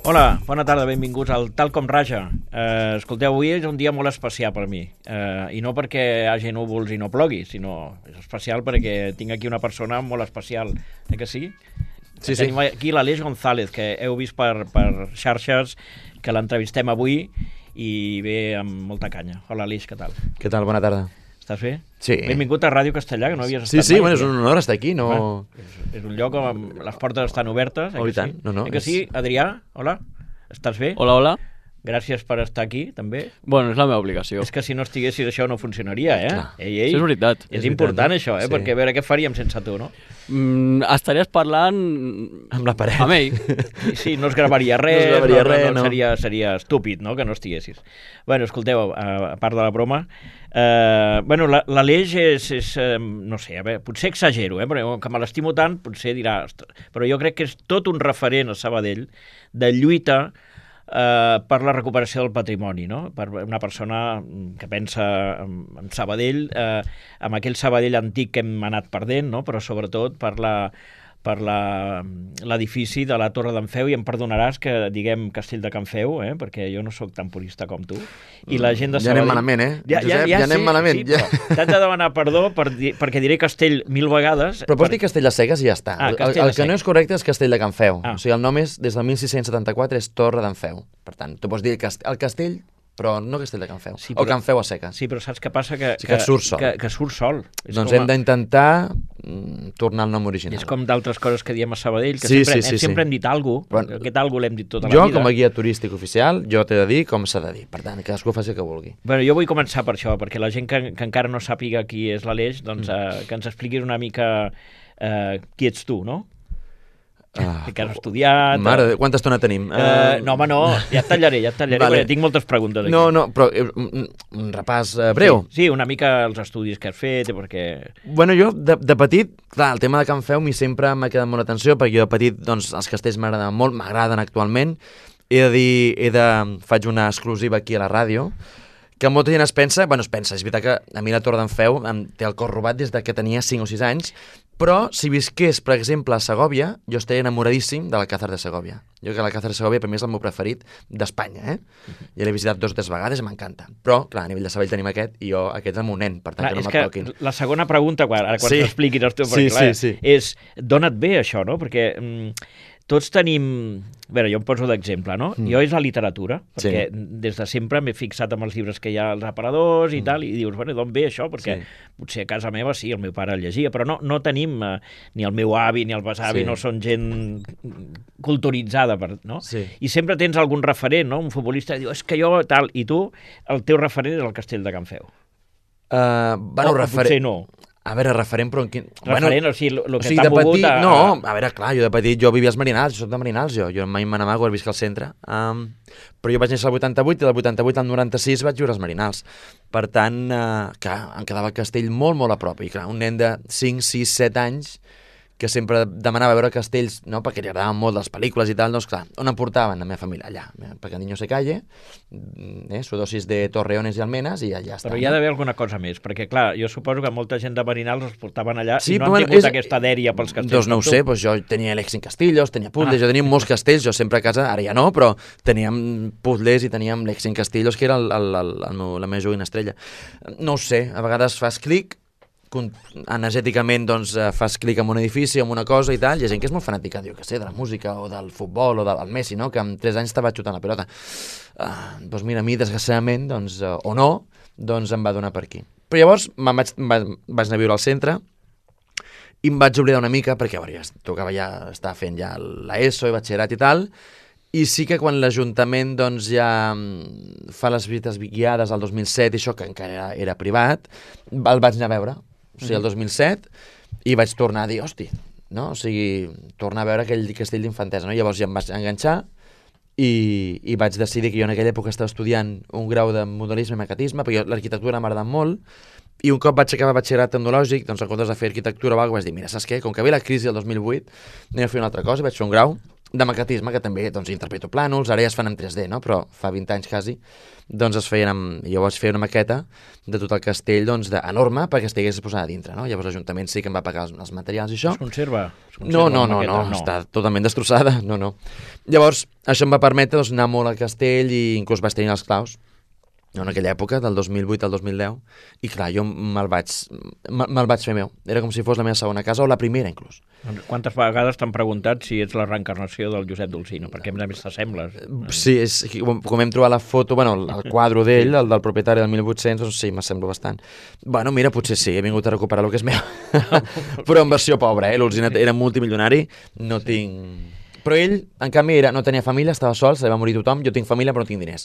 Hola, bona tarda, benvinguts al Tal com Raja. Escolteu, avui és un dia molt especial per mi, i no perquè hi hagi núvols i no plogui, sinó és especial perquè tinc aquí una persona molt especial, que sí? Sí, sí. Tenim aquí l'Aleix González, que heu vist per xarxes, que l'entrevistem avui i ve amb molta canya. Hola, Aleix, què tal? Què tal? Bona tarda. Estàs bé? Sí. Benvingut a Ràdio Castellà, que no havies estat Sí, mai. bueno, és un honor estar aquí, no... És un lloc on les portes estan obertes, Oh, i tant. sí? No, Que sí, Adrià? Hola, estàs bé? Hola, hola. Gràcies per estar aquí, també. Bueno, és la meva obligació. És que si no estiguessis això no funcionaria, eh? Clar. Ei, ei. Això és veritat. És És important, veritat, això, sí. perquè a veure què faríem sense tu, no? Estaries parlant Amb la paret. amb ell. Sí, no es gravaria res, No es gravaria res, no. Seria estúpid, no?, que no estiguessis. Bueno, escolteu, a part de la broma, l'Aleix és no sé, a veure, potser exagero, però que me l'estimo tant, potser dirà, "Ostres", però jo crec que és tot un referent a Sabadell de lluita per la recuperació del patrimoni, no? Per una persona que pensa en Sabadell, amb aquell Sabadell antic que hem anat perdent, no? Però sobretot per l'edifici de la Torre d'en Feu, i em perdonaràs que diguem Castell de Can Feu, perquè jo no sóc tan purista com tu, i la gent de Ja Sabadell... anem malament, Josep? Ja anem malament. Sí, però t'haig de demanar perdó perquè diré Castell 1000 vegades. Però pots dir Castell de Seques i ja està. Ah, El Castell de que no Seques. és correcte és Castell de Can Feu. Ah. O sigui, el nom és, des del 1674, és Torre d'en Feu. Per tant, tu pots dir el castell, però no Castell de Can Feu. Sí, O però- Can Feu a seques. Sí, però saps què passa? Sí que et surt sol. Que surt sol. És Doncs com hem d'intentar tornar al nom original. És com d'altres coses que diem a Sabadell, que Sí, sempre sí. hem dit alguna cosa, Bueno, aquest alguna l'hem dit tota la Jo, vida. com a guia turístic oficial, jo t'he de dir com s'ha de dir. Per tant, cadascú faci el que vulgui. Bueno, jo vull començar per això, perquè la gent que encara no sàpiga qui és l'Aleix, doncs que ens expliquis una mica qui ets tu, no? Que has estudiat... Mare, de Déu, quanta estona tenim? No, home, no, ja et tallaré, Vale. perquè tinc moltes preguntes aquí. No, però un repàs breu. Sí, una mica els estudis que has fet, perquè... Bueno, jo de petit, clar, el tema de Can Feu sempre m'ha quedat molt atenció, perquè jo de petit, doncs, els castells m'agraden molt, m'agraden actualment. He de dir, faig una exclusiva aquí a la ràdio, que molta gent es pensa, és veritat que a mi la Torre d'en Feu em té el cor robat des de que tenia 5 o 6 anys, però si visqués, per exemple, a Segòvia, jo estaria enamoradíssim de l'Alcázar de Segòvia. Jo que l'Alcázar de Segòvia per mi és el meu preferit d'Espanya, Ja l'he visitat 2 o 3 vegades i m'encanta. Però, clar, a nivell de Sabadell tenim aquest, i jo aquest és el meu nen, per tant, Clar, que no és me'l toquin. la segona pregunta, ara quan Sí. t'expliquis els teus, Sí, perquè, clar, sí. és d'on et ve això, no? Perquè tots tenim... A veure, jo em poso d'exemple, no? Jo és la literatura, perquè des de sempre m'he fixat amb els llibres que hi ha als aparadors i tal, i dius, bueno, d'on ve això? Perquè potser a casa meva sí, el meu pare el llegia, però no tenim, ni el meu avi ni el besavi no són gent culturitzada, no? Sí. I sempre tens algun referent, no? Un futbolista que diu, és que jo tal, i tu, el teu referent és el Castell de Can Feu. Bueno, o potser no. A veure, referent, però en quin... Referent, o sigui, el que t'ha de mogut petit, a... No, a veure, clar, jo de petit jo vivia als Marinals, jo soc de Marinals, jo mai me n'amago, he viscut al centre, però jo vaig néixer al 88 i del 88 al 96 vaig viure als Marinals. Per tant, clar, em quedava el castell molt, molt a prop, i clar, un nen de 5, 6, 7 anys que sempre demanava veure castells, no?, perquè li agradaven molt les pel·lícules i tal, doncs clar, on em portaven? La meva família, allà, perquè niño se calle, su dosis de Torreones i Almenes, i allà està. Però hi ha d'haver alguna cosa més, perquè clar, jo suposo que molta gent de Marinals els portaven allà Sí, i no però han tingut aquesta dèria pels castells. Doncs no ho sé, doncs jo tenia Lexing Castillos, tenia puzzles, jo tenia molts castells, jo sempre a casa, ara ja no, però teníem puzzles i teníem Lexing Castillos, que era la meva joguina estrella. No ho sé, a vegades fas clic, energèticament doncs fas clic en un edifici, en una cosa i tal, hi ha gent que és molt fanàtica, diu que sé, de la música o del futbol o del Messi, no?, que amb 3 anys estava xutant la pilota. Doncs mira, a mi, desgraciadament, doncs, o no, doncs em va donar per aquí. Però llavors vaig anar a viure al centre i em vaig oblidar una mica, perquè a veure, tocava ja estar fent ja l'ESO i batxillerat i tal, i sí que quan l'Ajuntament doncs ja fa les visites guiades al 2007 i això, que encara era privat, el vaig anar a veure. O sigui, el 2007, i vaig tornar a dir, hosti, no? O sigui, tornar a veure aquell castell d'infantesa, no? Llavors ja em vaig enganxar i vaig decidir que jo en aquella època estava estudiant un grau de modelisme i maquetisme, perquè l'arquitectura m'agrada molt, i un cop vaig acabar batxillerat tecnològic, doncs en comptes de fer arquitectura o alguna cosa, vaig dir, mira, saps què? Com que ve la crisi del 2008, anem a fer una altra cosa, vaig fer un grau de maquetisme, que també doncs, interpreto plànols, ara ja es fan en 3D, no? Però fa 20 anys quasi, doncs es feien jo vaig fer una maqueta de tot el castell doncs, enorme perquè estigués posada a dintre, no? Llavors l'Ajuntament sí que em va pagar els materials i això. Es conserva? No, està totalment destrossada, no. Llavors, això em va permetre doncs, anar molt al castell i inclús vaig tenir els claus en aquella època, del 2008 al 2010, i clar, jo me'l vaig fer meu. Era com si fos la meva segona casa, o la primera, inclús. Quantes vegades t'han preguntat si ets la reencarnació del Josep Dolcino? Perquè a més t'assembles. Sí, com hem trobat la foto, el quadre d'ell, el del propietari del 1800, doncs sí, m'assemblo bastant. Bueno, mira, potser sí, he vingut a recuperar el que és meu. Però en versió pobra, l'Olzina era multimilionari, no tinc... Però ell, en canvi, no tenia família, estava sol, se li va morir tothom, jo tinc família però no tinc diners.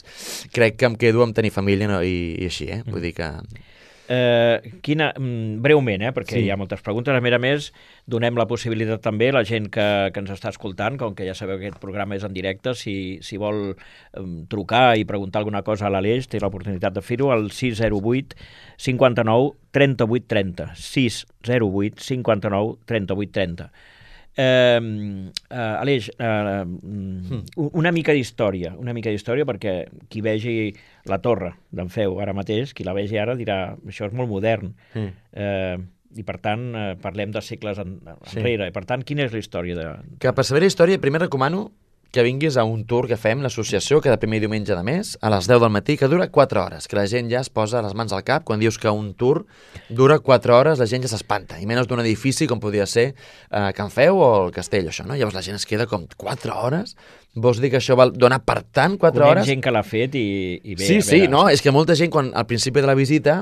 Crec que em quedo amb tenir família i així, vull dir que... Breument, perquè hi ha moltes preguntes. A més, donem la possibilitat també a la gent que ens està escoltant, com que ja sabeu que aquest programa és en directe, si vol trucar i preguntar alguna cosa a l'Aleix, té l'oportunitat de fer-ho al 608 59 38 30. 608 59 38 30. Aleix, una mica d'història perquè qui vegi la torre d'en Feu ara mateix, qui la vegi ara dirà això és molt modern i per tant parlem de segles enrere, i per tant quina és la història que per saber la història primer recomano que vinguis a un tour que fem, l'associació, cada primer diumenge de mes, a les 10 del matí, que dura 4 hores, que la gent ja es posa les mans al cap, quan dius que un tour dura 4 hores, la gent ja s'espanta, i menys d'un edifici com podria ser Can Feu o el Castell, això, no? Llavors la gent es queda com 4 hores? Vols dir que això val donar per tant 4 hores? Conec gent que l'ha fet i bé... Sí, no, és que molta gent, quan al principi de la visita,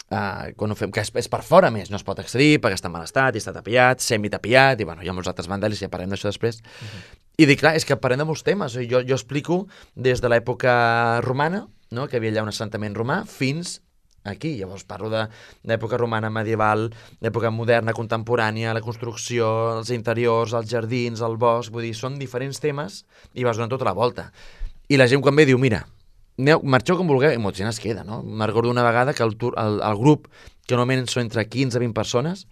quan ho fem, que és per fora més, no es pot accedir perquè està en mal estat, i està tapiat, semitapiat, i bueno, hi ha molts altres vandals i ja parlem d'això després. I dic, clar, és que parlem de molts temes. Jo explico des de l'època romana, no? Que havia allà un assentament romà, fins aquí. Llavors parlo de l'època romana medieval, l'època moderna, contemporània, la construcció, els interiors, els jardins, el bosc, vull dir, són diferents temes i vas donant tota la volta. I la gent quan ve diu, mira, marxeu com vulgueu, i molta gent es queda, no? Me'n recordo una vegada que el grup, que normalment són entre 15 i 20 persones,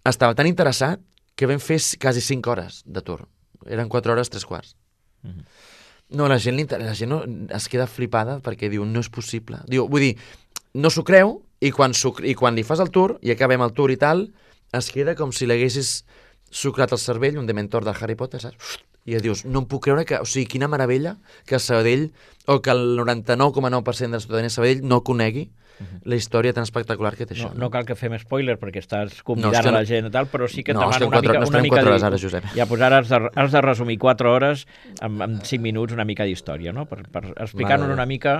estava tan interessat que vam fer quasi 5 hores de tour. Eren 4 hores, 3/4. No, la gent no, es queda flipada perquè diu, no és possible. Diu, vull dir, no s'ho creu i quan li fas el tour i acabem el tour i tal, es queda com si l'haguessis sucrat el cervell, un dementor del Harry Potter, saps? I dius, no em puc creure que... O sigui, quina meravella que Sabadell, o que el 99,9% de la ciutadania de Sabadell no conegui la història tan espectacular que té això. No cal que fem spoiler perquè estàs convidant a la gent i tal, però sí que et demano una mica 4 hores ara, Josep. Ja, doncs ara has de resumir 4 hores en 5 minuts una mica d'història, no? Per explicar-nos una mica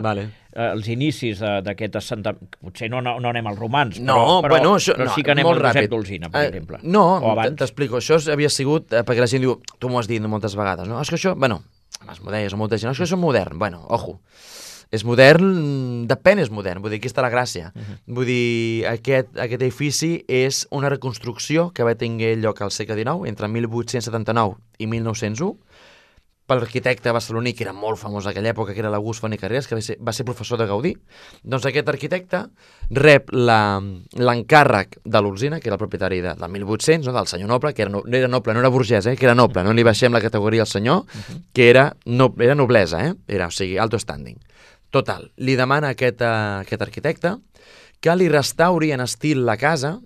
els inicis d'aquest assentament. Potser no anem als romans, però sí que anem al Josep Dolzina, per exemple. No, t'explico. Això havia sigut, perquè la gent diu, tu m'ho has dit moltes vegades, no? És que això, bueno, les modelles o molta gent, és que això és modern. Bueno, ojo. És modern, depèn és modern, vull dir, aquí està la gràcia. Vull dir, aquest edifici és una reconstrucció que va tenir lloc al segle XIX, entre 1879 i 1901, per l'arquitecte barceloní, que era molt famós en aquella època, que era l'August Font i Carreras, que va ser professor de Gaudí. Doncs aquest arquitecte rep l'encàrrec de l'Olzina, que era el propietari del 1800, no? Del senyor noble, que no era noble, no era burgès, que era noble, no li baixem la categoria al senyor, que era noblesa, o sigui, alto standing. Total, li demana a aquest arquitecte que li restauri en estil la casa,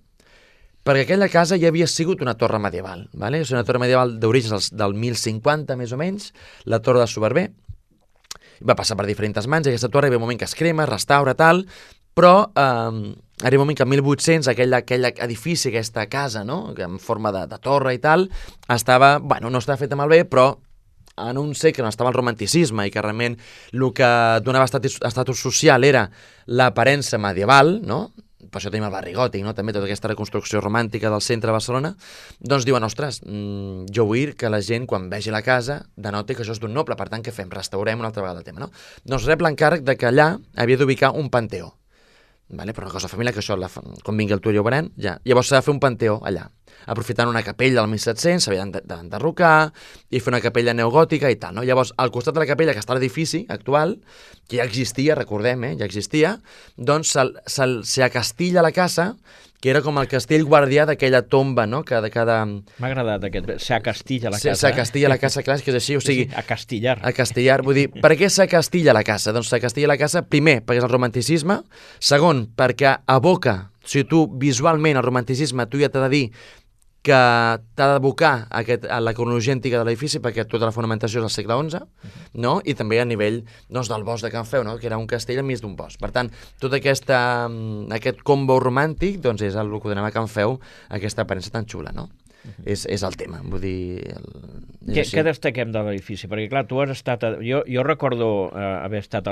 perquè aquella casa ja havia sigut una torre medieval, ¿vale? És una torre medieval d'orígens del 1050, més o menys, la torre de Soberber. Va passar per diferents mans, i aquesta torre hi ha un moment que es crema, es restaura, tal, però arriba un moment que en 1800 aquell edifici, aquesta casa, no?, en forma de torre i tal, estava, bueno, no estava feta malbé, però en un segle on estava el romanticisme i que realment el que donava estatus social era l'aparença medieval, no? Per això tenim el barri gòtic, no? També tota aquesta reconstrucció romàntica del centre de Barcelona, doncs diuen, ostres, jo vull que la gent, quan vegi la casa, denoti que això és d'un noble, per tant, què fem? Restaurem una altra vegada el tema, no? Doncs rep l'encàrrec de que allà havia d'ubicar un panteó, vale? Per una cosa família, que això, quan vingui el tour ja ho veurem, ja. Llavors s'ha de fer un panteó allà, aprofitant una capella del 1700, s'havia d'enderrocar i fer una capella neogòtica i tal, no? Llavors, al costat de la capella, que està a l'edifici actual, que ja existia, recordem, ja existia, doncs s'acastilla la casa, que era com el castell guardià d'aquella tomba, no? Que de cada... M'ha agradat aquest, s'acastilla la casa. S'acastilla la casa, clar, que és així, o sigui... Sí, acastillar. Acastillar, vull dir, per què s'acastilla la casa? Doncs s'acastilla la casa, primer, perquè és el romanticisme, segon, perquè evoca, o sigui, tu visualment el romanticisme, tu ja t'ha de dir que t'ha d'abocar a la cronologia antiga de l'edifici, perquè tota la fonamentació és del segle XI, no? I també a nivell doncs, del bosc de Can Feu, no? Que era un castell enmig d'un bosc. Per tant, tot aquest combo romàntic doncs, és el que donem a Can Feu, aquesta aparença tan xula, no? És el tema, vull dir... Què destaquem de l'edifici? Perquè, clar, tu has estat... Jo recordo haver estat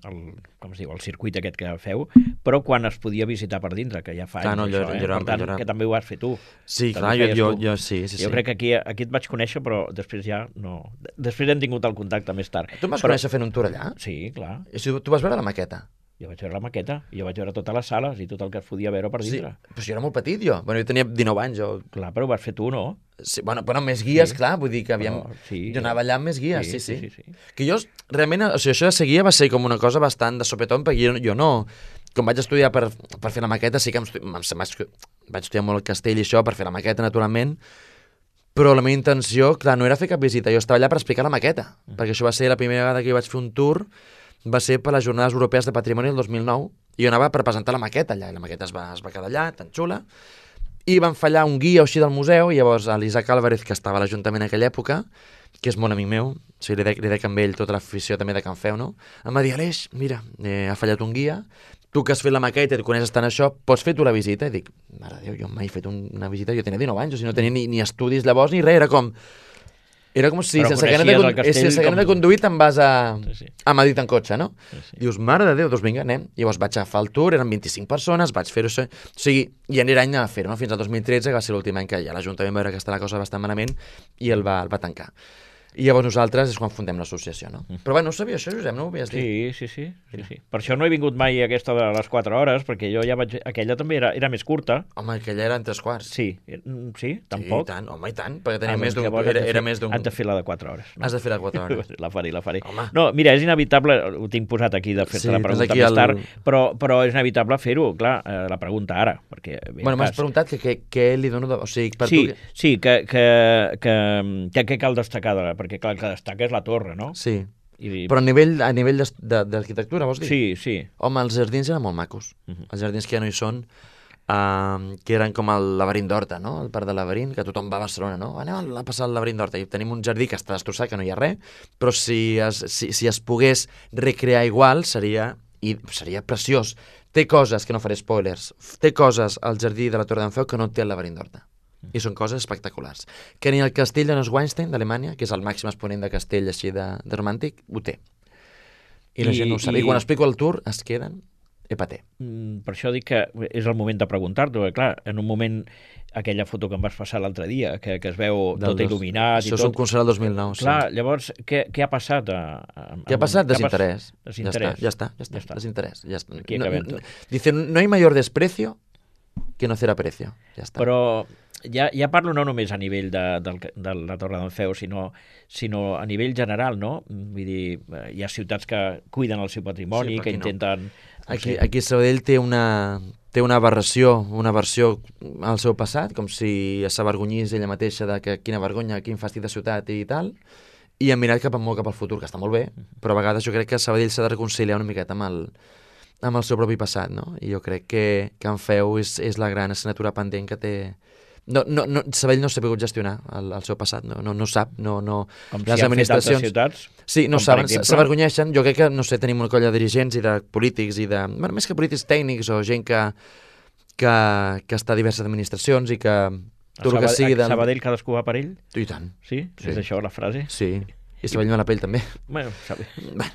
com es diu, el circuit aquest que feu, però quan es podia visitar per dintre, que ja fa anys, per tant, que també ho has fet tu. Sí, clar, jo sí. Jo crec que aquí et vaig conèixer, però després ja no... Després hem tingut el contacte més tard. Tu em vas conèixer fent un tour allà? Sí, clar. I tu vas veure la maqueta? Jo vaig veure la maqueta, i jo vaig veure totes les sales i tot el que es podia veure per dintre. Sí, però jo era molt petit, jo. Bueno, jo tenia 19 anys, Clar, però ho vas fer tu, no? Sí, bueno, més guies, sí. Clar, vull dir que havíem... Sí. Jo anava allà amb més guies, sí. Sí. Que jo, realment, o sigui, això de seguir va ser com una cosa bastant de sopetón, perquè jo no... Com vaig estudiar per fer la maqueta, sí que vaig estudiar molt el castell i això, per fer la maqueta, naturalment, però la meva intenció, clar, no era fer cap visita, jo estava allà per explicar la maqueta, perquè això va ser la primera vegada que jo vaig fer un tour, va ser per les Jornades Europees de Patrimoni el 2009, i jo anava per presentar la maqueta allà, i la maqueta es va quedar allà, tan xula, i van fallar un guia així del museu, i llavors l'Isaac Álvarez, que estava a l'Ajuntament en aquella època, que és molt amic meu, o sigui, li dec amb ell tota l'afició també de Can Feu, no? Em va dir, Aleix, mira, ha fallat un guia, tu que has fet la maqueta i et coneixes tant això, pots fer tu la visita? I dic, mare de Déu, jo mai he fet una visita, jo tenia 19 anys, o sigui, no tenia ni estudis llavors ni res, era com si sense ganes de conduir te'n vas a Madrid en cotxe, no? Sí. Dius, mare de Déu, doncs vinga, anem. Llavors vaig agafar el tour, eren 25 persones, vaig fer-ho això. O sigui, i anirà any a fer-ho, no? Fins al 2013, que va ser l'últim any que ja l'Ajuntament va veure que està la cosa bastant malament i el va tancar. I llavors nosaltres és quan fundem l'associació, no? Però bé, no ho sabia això, Josep, no ho havies dit? Sí. Per això no he vingut mai a aquesta de les 4 hores, perquè jo ja vaig... Aquella també era més curta. Home, aquella era en 3/4. Sí, tampoc. Sí, i tant, home, i tant, perquè tenia més d'un... Era més d'un... Has de fer la de 4 hores. No? Has de fer la de 4 hores. La faré. Home. No, mira, és inevitable, ho tinc posat aquí de fer-te la pregunta més tard, però és inevitable fer-ho, clar, la pregunta ara, perquè... Bueno, m'has preguntat que què li dono... O sigui, per tu... Sí, sí, que cal destacar, perquè clar, que destaca és la torre, no? Sí. Però a nivell d'arquitectura, vols dir? Sí. Home, els jardins eren molt macos. Els jardins que ja no hi són, que eren com el laberint d'Horta, no? El parc del laberint, que tothom va a Barcelona, no? Anem a passar el laberint d'Horta. I tenim un jardí que està destrossat, que no hi ha res, però si es pogués recrear igual, seria preciós. Té coses, que no faré spoilers, té coses al jardí de la Torre d'en Feu que no té el laberint d'Horta. I són coses espectaculars. Que ni el castell de Neuschwanstein, d'Alemanya, que és el màxim exponent de castell així de romàntic, ho té. I la gent no ho sap. I quan explico el tour es queden epaté. Per això dic que és el moment de preguntar-t'ho. Clar, en un moment, aquella foto que em vas passar l'altre dia, que es veu tot il·luminat i tot... Això és un concert del 2009. Clar, llavors, què ha passat? Què ha passat? Desinterès. Ja està. Desinterès. Aquí acabem tot. Dice, no hay mayor desprecio que no hacer aprecio. Ja està. Però ja parlo no només a nivell de la Torre d'en Feu, sinó a nivell general, no? Vull dir, hi ha ciutats que cuiden el seu patrimoni, que intenten... Aquí Sabadell té una aberració, una versió al seu passat, com si s'avergonyís ella mateixa de que quina vergonya, quin fàstic de ciutat i tal, i ha mirat cap al futur, que està molt bé, però a vegades jo crec que Sabadell s'ha de reconciliar una miqueta amb el seu propi passat, no? I jo crec que Can Feu és la gran assignatura pendent que té... Sabadell no s'ha pogut gestionar el seu passat, no sap, com les administracions... ciutats, sí, no saben, s'avergonyeixen. Jo crec que, no sé, tenim una colla de dirigents i de polítics i de... Bueno, més que polítics tècnics o gent que està a diverses administracions i que... Tot el que sigui de... Sabadell cadascú va per ell? I tant. Sí? És això la frase? Sí. I Sabadell la pell també. Bueno,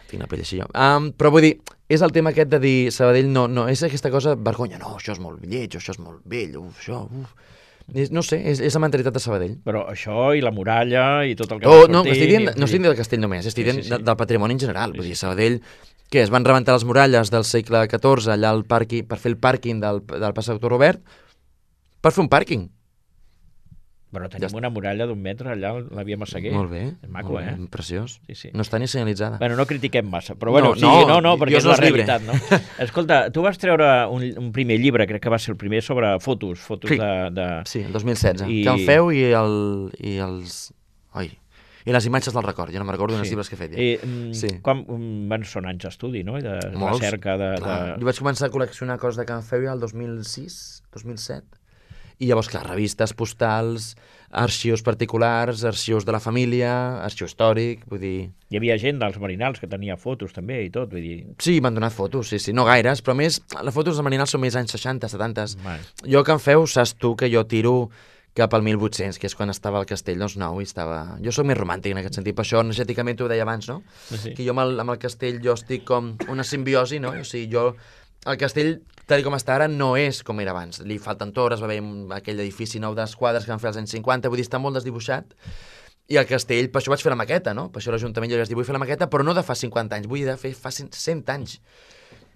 tinc la pell així jo. Però vull dir, és el tema aquest de dir Sabadell no, és aquesta cosa vergonya, no, això és molt lleig, això és molt vell, no sé, és la mentalitat de Sabadell. Però això i la muralla i tot el que no estic dient del castell només, estic dient del patrimoni en general. Vull dir, Sabadell, que es van rebentar les muralles del segle XIV allà al per fer el pàrquing del passeig Doctor Robert, per fer un pàrquing. Però tenim una muralla d'1 metre allà, la via Massaguer. Molt bé. És maco, molt bé, preciós. Sí. No està ni senyalitzada. Bueno, no critiquem massa, però bueno, perquè és la realitat, no? Escolta, tu vas treure un primer llibre, crec que va ser el primer, sobre fotos de... Sí, el 2016. Can Feu i els... Oi... I les imatges del record, jo no me'n recordo dels llibres que he fet. Ja. Quan són anys d'estudi, no? I de recerca, Jo vaig començar a col·leccionar coses de Can Feu el 2006, 2007, i llavors, clar, revistes, postals, arxius particulars, arxius de la família, arxiu històric, vull dir... Hi havia gent dels marinals que tenia fotos també i tot, vull dir... Sí, m'han donat fotos, sí, no gaires, però més, les fotos dels marinals són més anys 60, 70. Jo a Can Feu, saps tu que jo tiro cap al 1800, que és quan estava al castell, doncs nou, i estava... Jo soc més romàntic en aquest sentit, per això energèticament t'ho deia abans, no? Sí. Que jo amb el castell jo estic com una simbiosi, no? O sigui, jo... El castell, tal com està ara, no és com era abans. Li falten torres, va haver aquell edifici nou d'esquadres que van fer als anys 50, vull dir, està molt desdibuixat. I el castell, per això vaig fer la maqueta, no? Per això l'Ajuntament jo li vaig dir, vull fer la maqueta, però no de fa 50 anys, vull dir, de fer fa 100 anys.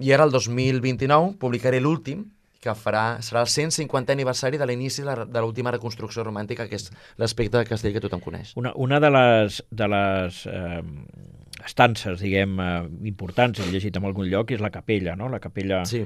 I ara, el 2029, publicaré l'últim, que serà el 150è aniversari de l'inici de l'última reconstrucció romàntica, que és l'aspecte del castell que tothom coneix. Una de les estances, diguem, importants, he llegit en algun lloc, és la capella, no? La capella, sí.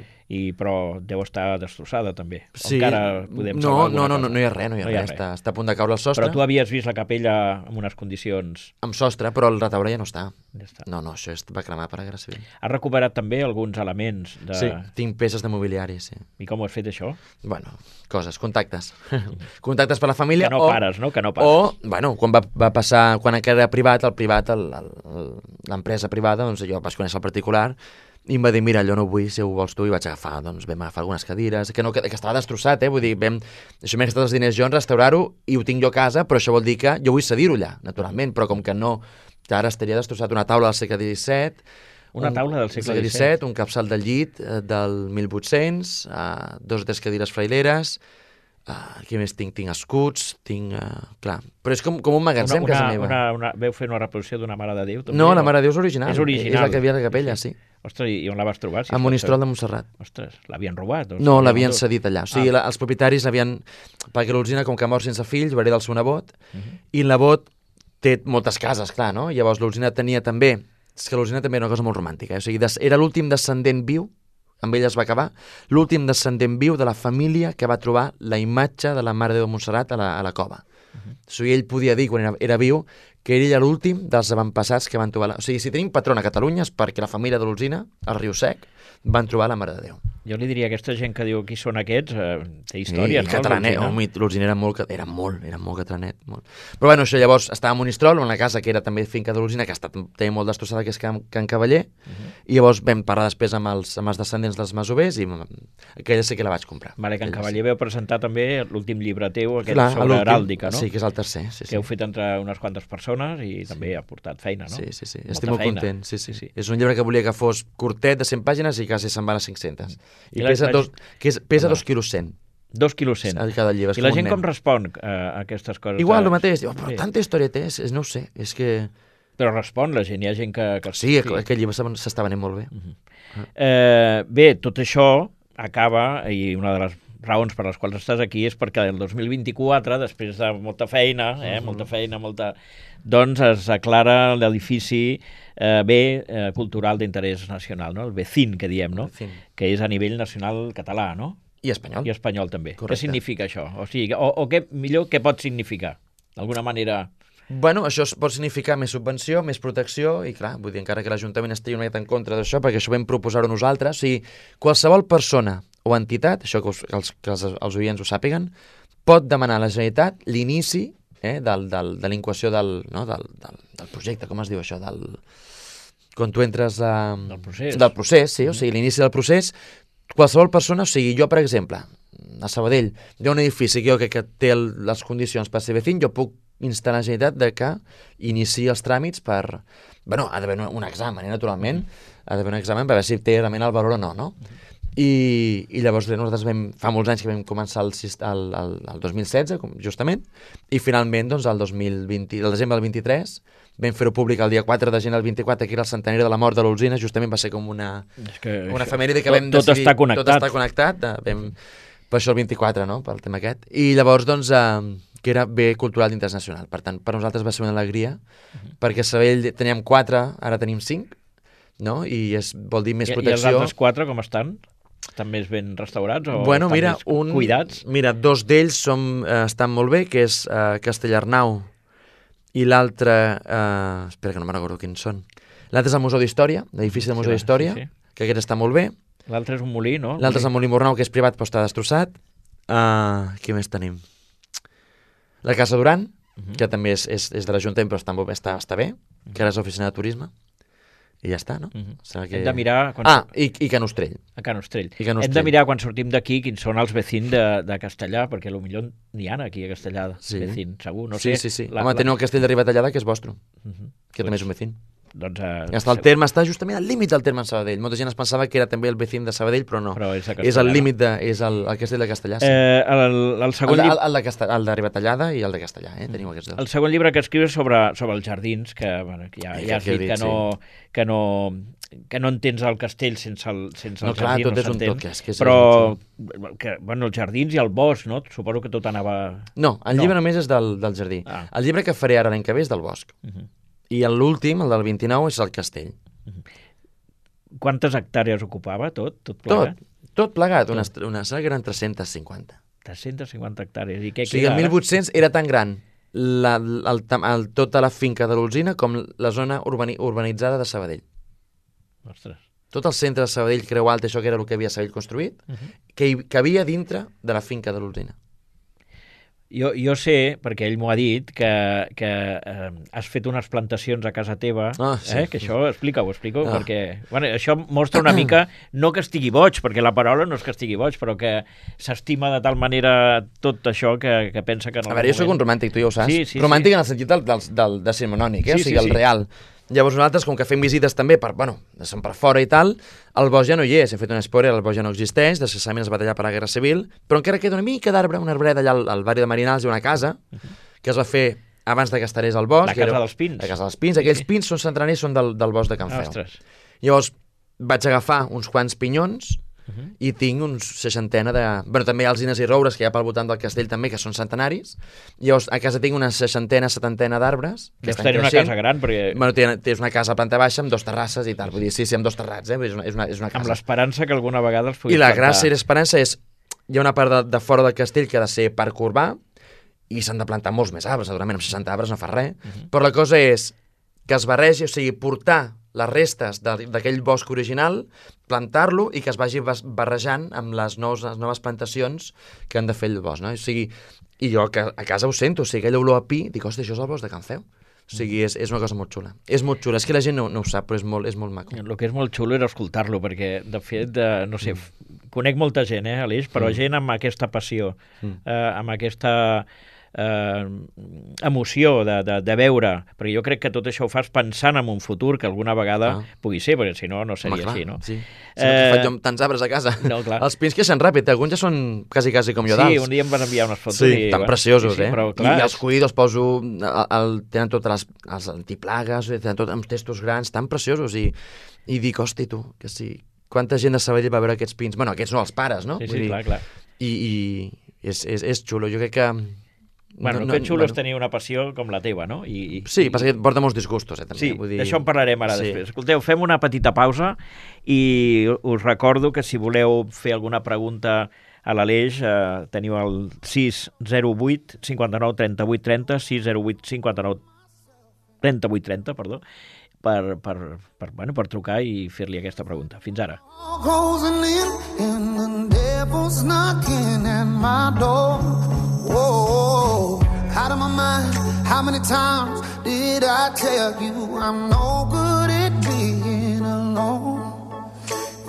Però deu estar destrossada, també. Sí. Encara podem salvar alguna cosa. No hi ha res, està a punt de caure el sostre. Però tu havies vist la capella en unes condicions... Amb sostre, però el retaule ja no està. Ja està. No, això va cremar per la Guerra Civil. Has recuperat també alguns elements de... Sí, tinc peces de mobiliari, sí. I com ho has fet, això? Bueno, coses, contactes. Contactes per la família. Que no pares, no? Que no pares. O, bueno, quan va passar, quan era privat, l'empresa privada, doncs jo vaig conèixer el particular i em va dir, mira, allò no ho vull, si ho vols tu, i vaig agafar, doncs vam agafar algunes cadires, que estava destrossat, vull dir, això m'he gastat els diners jo en restaurar-ho i ho tinc jo a casa, però això vol dir que jo vull cedir-ho allà, naturalment, però com que no, que ara estaria destrossat una taula del segle XVII, una taula del segle XVII, un capçal del llit del 1800, 2 o 3 cadires fraileres, què més tinc? Tinc escuts, clar, però és com un magatzem casa meva. Veu fer una reproducció d'una Mare de Déu? També, no, la Mare de Déu és original. És original. És la que havia a la capella, sí. Ostres, i on la vas trobar? A Monistrol de Montserrat. Ostres, l'havien robat? No, l'havien cedit allà. O sigui, els propietaris l'havien... Perquè l'Olzina, com que mor sense fills, va heredar el seu nebot, i el nebot té moltes cases, clar, no? Llavors l'Olzina tenia també... És que l'Olzina també era una cosa molt romàntica. O sigui, era l'últim descendent viu, amb ell es va acabar, l'últim descendent viu de la família que va trobar la imatge de la Mare de Déu de Montserrat a la cova. O sigui, ell podia dir, quan era viu, que ell era l'últim dels avantpassats que van trobar... O sigui, si tenim patrona a Catalunya és perquè la família de l'Olzina, al Riu Sec, van trobar la Mare de Déu. Jo li diria a aquesta gent que diu qui són aquests, té història, no? Catalanet, l'Olzina era molt catalanet, molt. Però bueno, això llavors estava a Monistrol, una casa que era també finca de l'Olzina, que ha estat també molt destrossada, que és Can Cavaller, i llavors vam parlar després amb els descendents dels masovers, i aquella sí que la vaig comprar. Vale, Can Cavaller veu presentar també l'últim llibre teu, aquest sobre heràldica, no? Sí, que és el tercer. Que heu fet entre unes quantes persones i també ha portat feina, no? Sí. Estic molt content, sí. És un llibre que volia que fos curtet, de 100 pàgines, i quasi se'n van a 500. I pesa 2 quilos 100. 2 quilos 100. Cada llibre. I la gent com respon a aquestes coses? Igual, el mateix. Diu, però tanta història té, no ho sé, és que... Però respon la gent, hi ha gent que... Sí, aquest llibre s'està venent molt bé. Bé, tot això acaba, i una de les raons per les quals estàs aquí és perquè el 2024, després de molta feina, doncs es declara l'edifici cultural d'interès nacional, no? El BECIN, que diem, no? Que és a nivell nacional català, no? I espanyol. I espanyol també. Correcte. Què significa això? O sigui, què pot significar? D'alguna manera... Bueno, això pot significar més subvenció, més protecció, i clar, vull dir, encara que l'Ajuntament estigui una mica en contra d'això, perquè això vam proposar-ho nosaltres, o sigui, qualsevol persona o entitat, això que els oients ho sàpiguen, pot demanar a la Generalitat l'inici de l'inquació del projecte, com es diu això, quan tu entres del procés. Del procés, sí, o sigui, l'inici del procés, qualsevol persona, o sigui, jo, per exemple, a Sabadell, hi ha un edifici que té les condicions per ser vecin, jo puc instar la Generalitat de que iniciï els tràmits per... Bueno, ha d'haver un examen, naturalment, ha d'haver un examen per veure si té realment el valor o no? I llavors nosaltres fa molts anys que vam començar el 2016, justament, i finalment, doncs, el desembre del 23, vam fer-ho públic el dia 4 de gener del 24, que era el centenari de la mort de l'Olzina, justament va ser com una efemèride que vam decidir... Tot està connectat. Per això el 24, no?, pel tema aquest. I llavors, doncs... que era bé cultural d'interès nacional. Per tant, per nosaltres va ser una alegria, perquè a Sabadell teníem 4, ara tenim 5, no? I vol dir més protecció. I els altres 4 com estan? Estan més ben restaurats o bueno, estan mira, més cuidats? Mira, 2 d'ells estan molt bé, que és Castellarnau i l'altre... espera, que no me'n recordo quins són. L'altre és el Museu d'Història, l'edifici del Museu d'Història, que aquest està molt bé. L'altre és un molí, no? L'altre és el Molí Mornau, que és privat però està destrossat. Què més tenim? La Casa Duran, que també és de l'Ajuntament però està bé, que ara és l'oficina de turisme. I ja està, no? Hem de mirar... I Can Ostrell. A Can Ostrell. Hem de mirar quan sortim d'aquí quins són els vecins de Castellà, perquè potser n'hi ha aquí a Castellà, vecins, segur, no sé. Sí. Home, teniu el castell de Ribatallada, que és vostre, que també és un vecín. Doncs, està al terme, està justament al límit del terme en Sabadell. Molta gent es pensava que era també el vecín de Sabadell, però no. Però és el límit és el castell de Castellà. Sí. El segon el de Ribatallada i el de Castellà, teniu aquests dos. El segon llibre que escrius sobre els jardins, que ja has dit que no entens el castell sense el clar, jardí, no s'entén. Però els jardins i el bosc, no? Suposo que tot anava... No, el llibre només és del jardí. El llibre que faré ara l'any que ve és del bosc. I l'últim, el del 29, és el castell. Quantes hectàrees ocupava tot plegat? Tot plegat, una sala que eren 350. 350 hectàrees. I què o sigui, el 1800 era tan gran tota la finca de l'Olzina com la zona urbanitzada de Sabadell. Ostres. Tot el centre de Sabadell, Creu Alta, això que era el que havia Sabadell construït, que cabia dintre de la finca de l'Olzina. Jo sé, perquè ell m'ho ha dit, que has fet unes plantacions a casa teva, que això explica-ho, perquè això mostra una mica, no que estigui boig, perquè la paraula no és que estigui boig, però que s'estima de tal manera tot això que pensa que... A veure, jo soc un romàntic, tu ja ho saps. Sí, romàntic en el sentit del decimonònic, o sigui, el real. Llavors nosaltres, com que fem visites també som per fora i tal, el bosc ja no hi és, hem fet un spoiler, el bosc ja no existeix, desgraciadament es va tallar per la Guerra Civil, però encara queda una mica d'arbre, una arbreda allà al barri de Marinals, hi ha una casa que es va fer abans de que estarés al bosc. La Casa dels Pins. La Casa dels Pins, aquells pins són centenars, són del bosc de Can Feu. Ostres. Llavors vaig agafar uns quants pinyons i tinc uns 60 de... Bueno, també hi ha alzines i roures que hi ha pel voltant del castell també, que són centenaris. Llavors, a casa tinc una 60, 70 d'arbres. Deus tenir una casa gran, perquè... Bueno, tens una casa a planta baixa amb 2 terrasses i tal. Vull dir, sí, amb 2 terrats, és una casa. Amb l'esperança que alguna vegada els puguis plantar. I la gràcia i l'esperança és... Hi ha una part de fora del castell que ha de ser parc urbà i s'han de plantar molts més arbres, segurament amb 60 arbres no fa res. Però la cosa és que es barregi, o sigui, portar les restes d'aquell bosc original, plantar-lo i que es vagi barrejant amb les noves plantacions que han de fer el bosc, no? O sigui, i jo a casa ho sento, o sigui, aquella olor a pi, dic, hòstia, això és el bosc de Can Feu. O sigui, és una cosa molt xula. És molt xula, és que la gent no ho sap, però és molt maco. El que és molt xulo era escoltar-lo, perquè, de fet, no sé, conec molta gent, Aleix, però gent amb aquesta passió, amb aquesta... emoció de veure, perquè jo crec que tot això ho fas pensant en un futur que alguna vegada pugui ser, perquè si no, no seria així, no? Sí. Si no faig jo amb tants arbres a casa. No, clar. Els pins creixen ràpid, alguns ja són quasi com jo d'alts. Sí, un dia em van enviar unes fotos. Sí, tan preciosos, però, clar, I els cuido, els poso, tenen totes les antiplagues, tenen tot amb testos grans, tan preciosos, i dic, hosti, tu, que sí, quanta gent de Sabadell va veure aquests pins, bueno, aquests no els pares, no? Sí, clar. I és xulo, jo crec que... Bueno, el que és xulo és tenir una passió com la teva, no? Sí, passa que porta molts disgustos, també. Sí, d'això en parlarem ara després. Escolteu, fem una petita pausa i us recordo que si voleu fer alguna pregunta a l'Aleix, teniu el 608 59 38 30, 608 59 38 30, perdó, per trucar i fer-li aquesta pregunta. Fins ara. Whoa, out of my mind, how many times did I tell you I'm no good at being alone?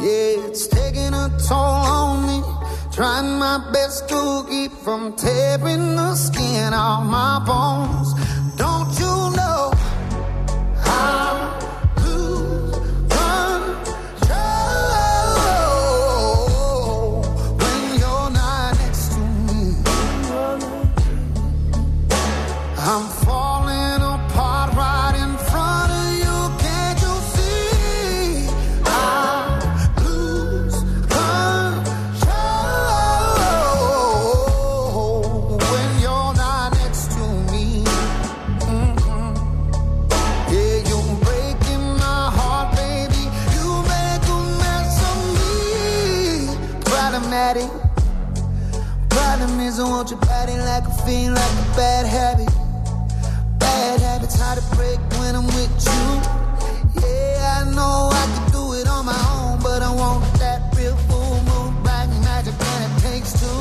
Yeah, it's taking a toll on me, trying my best to keep from tearing the skin off my bones. Don't you know I'm I'm falling apart right in front of you. Can't you see? I lose control when you're not next can feel like a bad habit. Bad habits hard to break when I'm with you. Yeah, I know I can do it on my own, but I want that real full moon, black magic, and it takes two.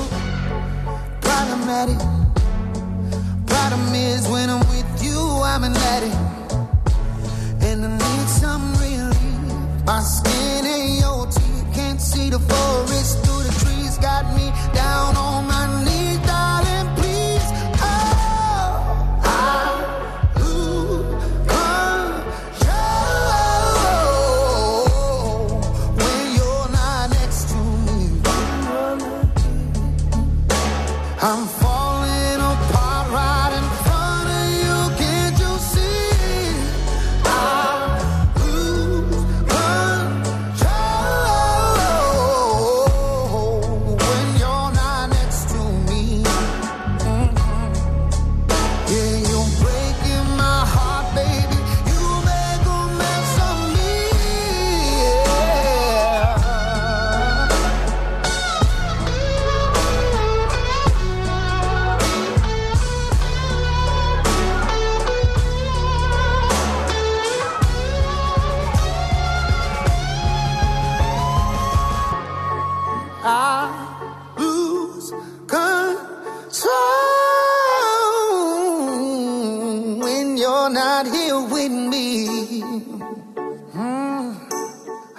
Problematic. Problem is when I'm with you, I'm an addict, and I need some relief. My skin ain't your teeth, can't see the forest through the trees. Got me down on my knees, darling, please. Oh, I lose control when you're not next to me. I'm falling apart right in front of you. Can't you see? I lose control when you're not next to me. Yeah, you're breaking my heart, baby. You make a mess of me. Yeah. I lose control when you're not here with me.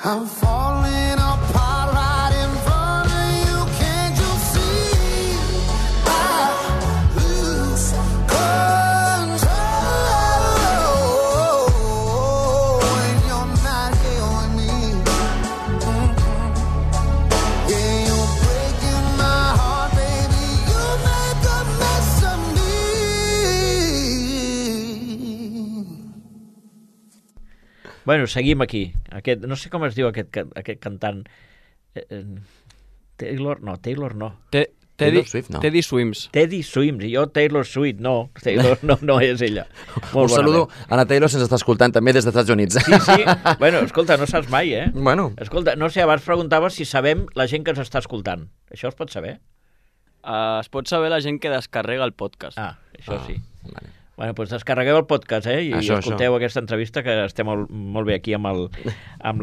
I'm falling apart right in front of you. Can't you see? I lose control when you're not here with me. Yeah, you're breaking my heart, baby. You make a mess of me. Bueno, seguim aquí. No sé com es diu aquest cantant. Taylor no. Taylor Swift, no. Teddy Swims. Teddy Swims, i jo Taylor Swift, no. Taylor no és ella. Un saludo a la Taylor, se'ns està escoltant també des dels Estats Units. Sí. Bueno, escolta, no saps mai, eh? Bueno, Escolta, no sé, abans preguntaves si sabem la gent que ens està escoltant. Això es pot saber? Es pot saber la gent que descarrega el podcast. Això sí. vale. Bueno, doncs descarregueu el podcast, I Això. escolteu aquesta entrevista, que estem molt bé aquí amb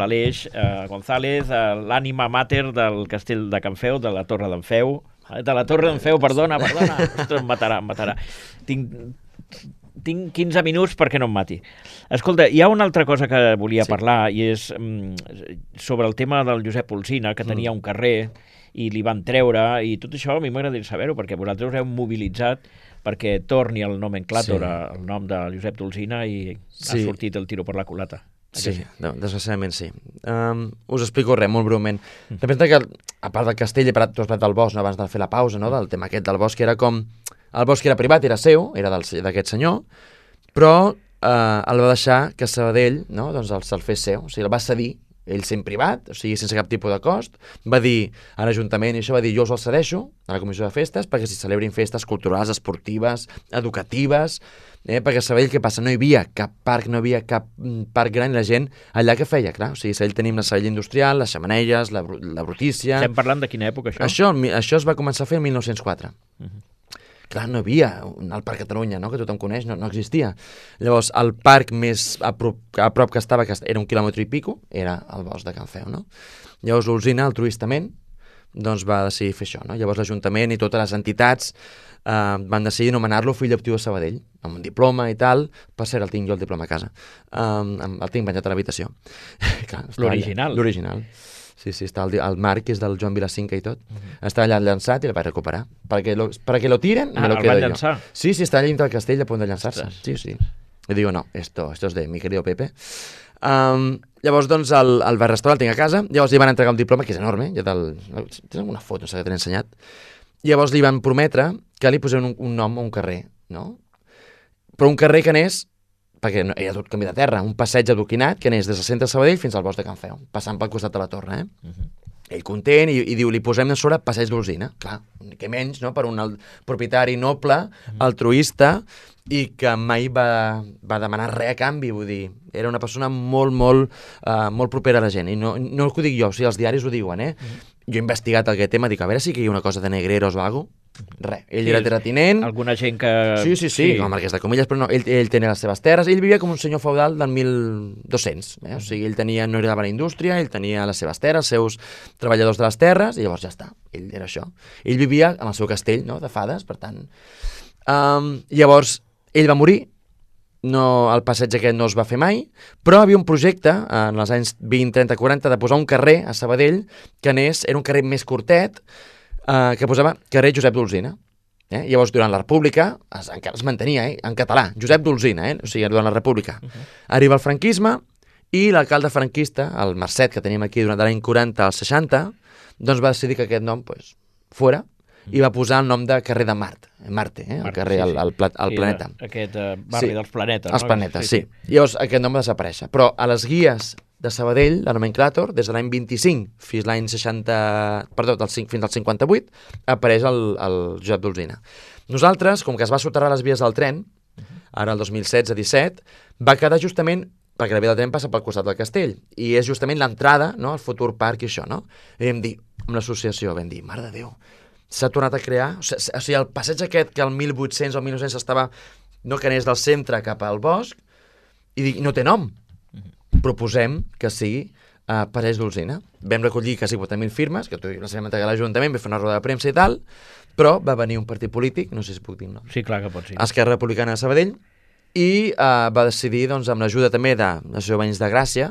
l'Aleix González, l'ànima mater del castell de Can Feu, de la Torre d'en Feu. De la Torre d'en Feu, perdona. Ostres, em matarà. Tinc 15 minuts perquè no em mati. Escolta, hi ha una altra cosa que volia parlar, i és sobre el tema del Josep Olsina, que tenia un carrer i li van treure, i tot això a mi m'agradaria saber-ho, perquè vosaltres us heu mobilitzat perquè torni el nomenclàtor, el nom de Josep Olsina, i ha sortit el tiro per la culata. Sí, desgraciadament sí. Us explico res, molt breument. Representa que, a part del castell, tu has parlat del bosc, abans de fer la pausa, del tema aquest del bosc, era com... El bosc era privat, era seu, era d'aquest senyor, però el va deixar que Sabadell doncs se'l fes seu, o sigui, el va cedir ell sent privat, o sigui, sense cap tipus de cost, va dir a l'Ajuntament, i això va dir, jo us el cedeixo a la Comissió de Festes perquè s'hi celebrin festes culturals, esportives, educatives, perquè a Sabadell què passa? No hi havia cap parc gran, i la gent allà què feia, clar, o sigui, a Sabadell tenim la Sabadell Industrial, les xemeneies, la brutícia... Estem parlant de quina època, això? Això es va començar a fer el 1904. Clar, no hi havia el Parc Catalunya, que tothom coneix, no existia. Llavors, el parc més a prop que estava, que era 1 quilòmetre i pico, era el bosc de Can Feu, Llavors, l'Olsina, altruistament, doncs va decidir fer això, Llavors, l'Ajuntament i totes les entitats van decidir anomenar-lo fill adoptiu de Sabadell, amb un diploma i tal. Per cert, el tinc jo, el diploma a casa. El tinc penjat a l'habitació. L'original. L'original. Sí, està el marc, que és del Joan Vilacinca i tot. Està allà llançat i el vaig recuperar. Perquè lo tiren, me lo quedo yo. Llançar? Sí, està allà dintre del castell a punt de llançar-se. Sí. I digo, no, esto es de mi querido Pepe. Llavors, doncs, el va restaurar, el tinc a casa. Llavors li van entregar un diploma, que és enorme. Tens alguna foto, no sé, que te l'he ensenyat. Llavors li van prometre que li posem un nom a un carrer, Però un carrer que anés, perquè era tot canvi de terra, un passeig adoquinat que anés des del centre de Sabadell fins al bosc de Can Feu, passant pel costat de la torre, Ell content, i diu, li posem a sobre passeig d'Olsina. Clar, que menys, per un propietari noble, altruista, i que mai va demanar res a canvi, vull dir, era una persona molt propera a la gent, i no que ho dic jo, o sigui, els diaris ho diuen, Jo he investigat aquest tema, dic, a veure si hi ha una cosa de negreros o alguna cosa, Res. Ell era terratinent. Alguna gent que... Sí, com a marquès de Comelles, però no, ell tenia les seves terres, ell vivia com un senyor feudal del 1200, o sigui, ell tenia, no heredava la indústria, ell tenia les seves terres, els seus treballadors de les terres, i llavors ja està, ell era això. Ell vivia en el seu castell, no?, de fades, per tant. Llavors, ell va morir, el passeig aquest no es va fer mai, però havia un projecte, en els anys 20, 30, 40, de posar un carrer a Sabadell, que era un carrer més curtet, que posava carrer Josep d'Olzina. Llavors, durant la República, encara es mantenia, en català, Josep d'Olzina, o sigui, durant la República. Arriba el franquisme i l'alcalde franquista, el Marcet, que teníem aquí durant l'any 40 al 60, doncs va decidir que aquest nom fora, i va posar el nom de carrer de Marte, el carrer, el planeta. Aquest barri dels planetes. Els planetes, sí. Llavors, aquest nom va desaparèixer. Però a les guies de Sabadell, la nomenclàtor, des de l'any 25 fins l'any 60... Perdó, fins al 58, apareix el Josep d'Olzina. Nosaltres, com que es va soterrar les vies del tren, ara el 2016-17, va quedar justament perquè la via del tren passa pel costat del castell, i és justament l'entrada, no?, al futur parc i això, no? I vam dir, amb l'associació, vam dir, mare de Déu, s'ha tornat a crear, o sigui, el passeig aquest que el 1800 o el 1900 estava, no, que anés del centre cap al bosc, i no té nom. Proposem que sigui Passeig d'Olzina. Vam recollir quasi 4.000 firmes, que les vam entregar a l'Ajuntament, vam fer una roda de premsa i tal, però va venir un partit polític, no sé si puc dir nom. Sí, clar que pot ser. Esquerra Republicana de Sabadell, i va decidir, doncs, amb l'ajuda també de l'Associació de Veïns de Gràcia,